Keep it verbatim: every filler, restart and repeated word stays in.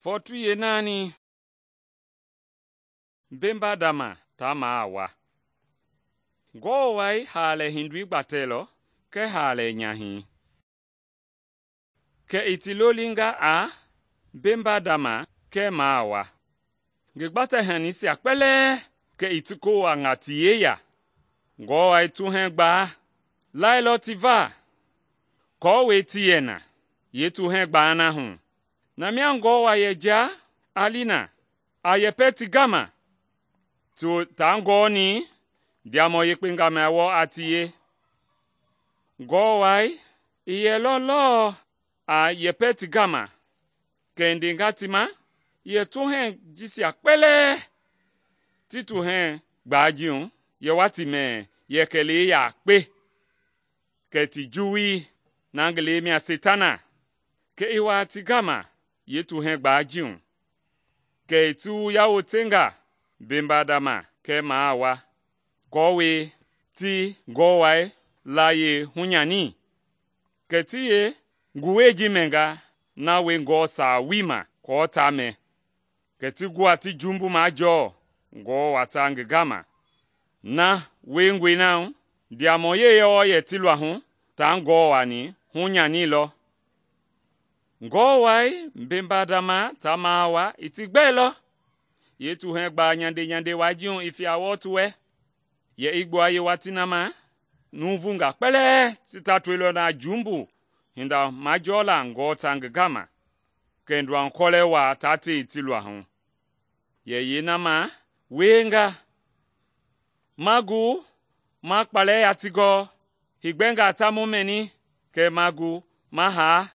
Fɔɔtui yeenaani mbembadama taa maa wa. Ngewɔ Wai haalɛ hindoi gbatɛlɔ kɛɛ haalɛ nyahɛi. Kɛ i ti lolinga a mbembadama kɛɛ maa wa. Ngi gbatɛ-hanisia kpɛlɛɛ kɛ i ti kowangaa ti yeya. Ngewɔ Wai tuhɛŋ gbaa lailɔ ti va aako ti yɛ na yeetuhɛɛ gbaa na hu. Na mia Ngewɔ Wai yɛ jia a li na, a yɛpɛ ti gama, taa gɔɔni ndiamɔ yekpenga mia wɔɔ a tie. Ngewɔ Wai i yɛlɔ lɔɔ a yɛpɛ ti gama, kɛ i ndenga ti ma yɛ tuhɛŋ jisia kpɛlɛɛ ti tuhɛŋ gbaa ji hu yɛ wa ti mɛ yɛ kɛlee yakpe, kɛ ti juwui na ngi lɛi mia Setana, kɛ i wa ti gama yeetuhɛŋ gbaa ji hu, kɛ i ti yawotenga mbembadama kɛɛ maa wa, aako ti Ngewɔ Wai layie hunyani, kɛ ti yee nguwɛi ji mɛnga na wie Ngewɔ saawii ma aako ta mɛ, kɛ ti gua ti jumbu majɔɔ Ngewɔ wata ngi gama. Na wiengɔe na hu, ndiamɔ yeyɔ yɛ ti luahu taa Ngewɔ wani hunyanilɔ. Ngewɔ Wai mbembadama taa maa wa i ti gbɛilɔ yeetuhɛŋ gbaa nyande nyande wai ji hu i fia wɔɔ ti wɛ, yɛ i gbua yeewatii na ma nuuvungaa kpɛlɛɛ ti tatoilɔ na jumbu hinda majɔɔla Ngewɔ ta ngi gama, kɛ nduakɔlɛ waa taa tei ti luahu. Yɛ yeena ma wienga, ma gu ma kpalɛ ya ti gɔɔ, higbɛngaa ta mu mɛni, kɛ ma gu ma haa